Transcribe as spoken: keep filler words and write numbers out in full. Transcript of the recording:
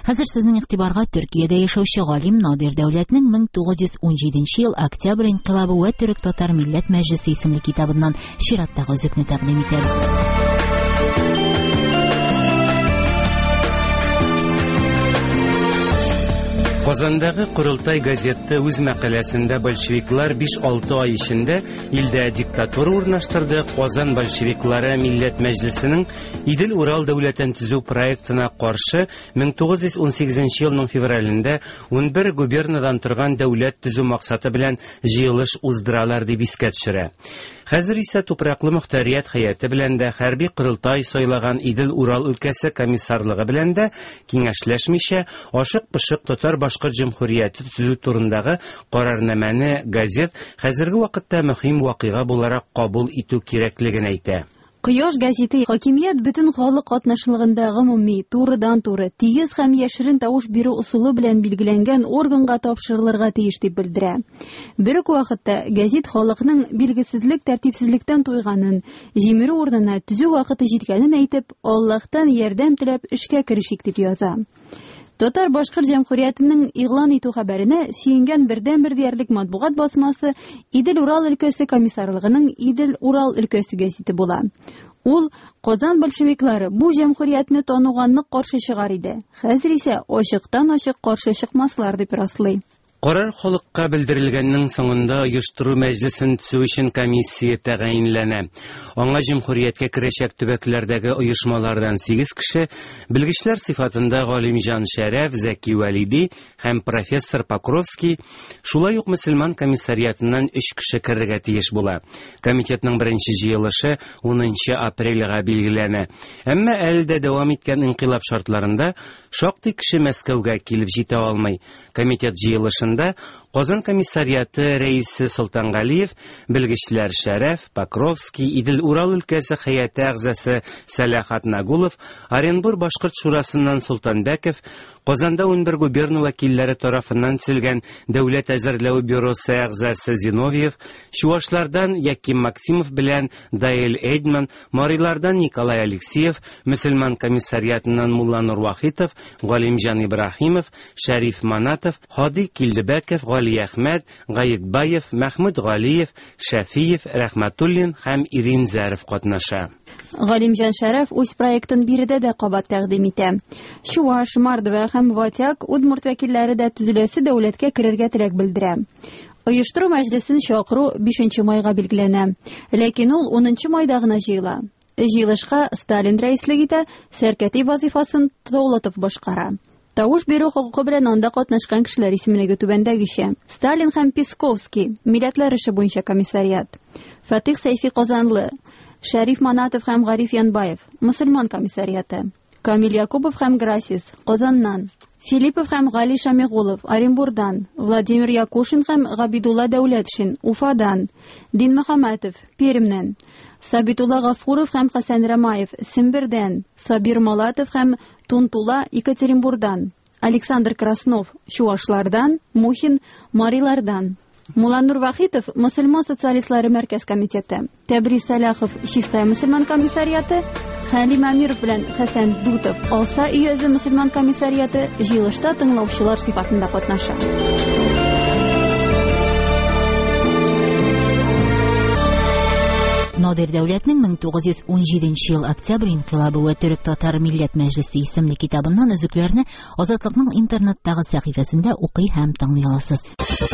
Хәзер сезнең игътибарга Төркиядә яшәүче галим Надир Дәүләтнең мең тугыз йөз унҗиденче ел Октябрь инкыйлабы вә Төрек-татар милләт мәҗлесе исемле китабыннан чираттагы өзекне тәкъдим итәбез. Казандагы Корылтай газеты үз мәкаләсендә большевиклар биш-алты ай эчендә илдә диктатура урнаштырды. Казан большевиклары Милләт Мәҗлесенең Идел-Урал дәүләтен төзү проектына каршы мең тугыз йөз унсигезенче елның февралендә унбер губернадан торган дәүләт төзү максаты белән җыелыш уздыралар дип искә төшерә. Хәзер исә тупраклы мөхтәрият хәяте белән дә хәрби корылтай сайлаган Идел-Урал өлкәсе комиссарлыгы белән дә киңәшләшмичә ашык-пышык татар башкорт җөмһүрияте төзү турындагы карарнамәне газет хәзерге вакытта мөһим вакыйга буларак кабул итү кирәклеген әйтә. Кояш газеты хакимият бөтен халык катнашлыгында гомуми, турыдан-туры, тигез һәм яшерен тавыш бирү ысулы белән билгеләнгән органга тапшырылырга тиеш дип белдерә. Бер үк вакытта газет халыкның билгесезлек, тәртипсезлектән туйганын, җимерү урынына төзү вакыты җиткәнен әйтеп, Аллаһтан ярдәм теләп эшкә керешик дип яза. Татар Башкорт Җәмһүриятенең игълан итү хәбәренә сөенгән бердәнбер диярлек матбугат басмасы Идел-Урал өлкәсе комиссарлыгының Идел-Урал өлкәсе газеты була. Ул Казан большевиклары бу җәмһүриятне тануга нык каршы чыгар иде. Хәзер исә ачыктан-ачык каршы чыкмаслар дип раслый. Карар халыкка белдерелгәннең соңында оештыру мәҗлесен төзү өчен комиссия тәгаенләнә. Аңа җөмһүрияткә керәчәк төбәкләрдәге оешмалардан сигез кеше, белгечләр сыйфатында Галимҗан Шәрәф, Зәки Вәлиди һәм профессор Покровский, шулай ук мөселман комиссариатыннан өч кеше керергә тиеш була. Комитетның беренче җыелышы унынчы апрельгә билгеләнә. Әмма әле дә дәвам иткән инкыйлаб шартларында шактый кеше Мәскәүгә килеп җитә алмый. Комитет җыелышында Казан комиссариаты рәисе Солтангалиев, белгечләр Шәрәф, Покровский, Идел-Урал өлкәсе хәяте әгъзасы Сәлахат Нагулов, Оренбур Башкорт шурасыннан Солтанбеков, Казанда унбер губерна вәкилләре тарафыннан төзелгән Дәүләт әзерләү бюросы әгъзасы Зиновьев, Чуашлардан Яким Максимов белән Даил Эйдман, Марилардан Николай Алексеев, мөселман комиссариатыннан Мулланур Вахитов, Галимҗан Ибраһимов, Шәриф Манатов, Һади Килдебәков, Гали Әхмәт, Гаетбаев, Мәхмүт Галиев, Шәфиев, Рәхмәтуллин һәм Ирин Зәров катнаша. Галимҗан Шәрәф үз проектын биредә дә кабат тәкъдим итә. Чуаш, Мордва һәм Ватяк, Удмурт вәкилләре дә төзеләсе дәүләткә керергә теләк белдерә. Оештыру мәҗлесен чакыру бишенче майга билгеләнә. Ләкин ул унынчы майда гына җыела. Җыелышка Сталин рәислек итә, сәркәти вазифасын Толотов башкара. Тавыш бирү хокукы белән анда катнашкан кешеләр исемлеге түбәндәгечә: Сталин һәм Песковский, милләтләр эше буенча комиссариат; Фатих Сәйфи Казанлы, Шәриф Манатов һәм Гариф Янбаев, мөселман комиссариаты; Камил Якубов һәм Грасис, Казаннан; Филиппов һәм Гали Шамигулов, Оренбурдан; Владимир Якушин һәм Габидулла Дәүләтшин, Уфадан; Дин Мөхәммәтов, Пермьнән; Сабитулла Гафуров һәм Хәсән Рамаев, Сембердән; Сабир Малатов һәм Тунтула, Екатеринбурдан; Александр Краснов, Чуашлардан; Мухин, Марилардан. Мулланур Вахитов, Мөселман социалистлары мәркәз комитеты; Тәбрис Сәлахов, Чистай мөселман комиссариаты; Хәлим Әмиров белән Хәсән Дутов, Алса өязе мөселман комиссариаты җыелышта тыңлаучылар сыйфатында катнаша. Надир Дәүләтнең мең тугыз йөз унҗиденче ел Октябрь инкыйлабы вә Төрек-татар милләт мәҗлесе исемле китабыннан өзекләрне Азатлыкның интернеттагы сәхифәсендә укый һәм тыңлый аласыз.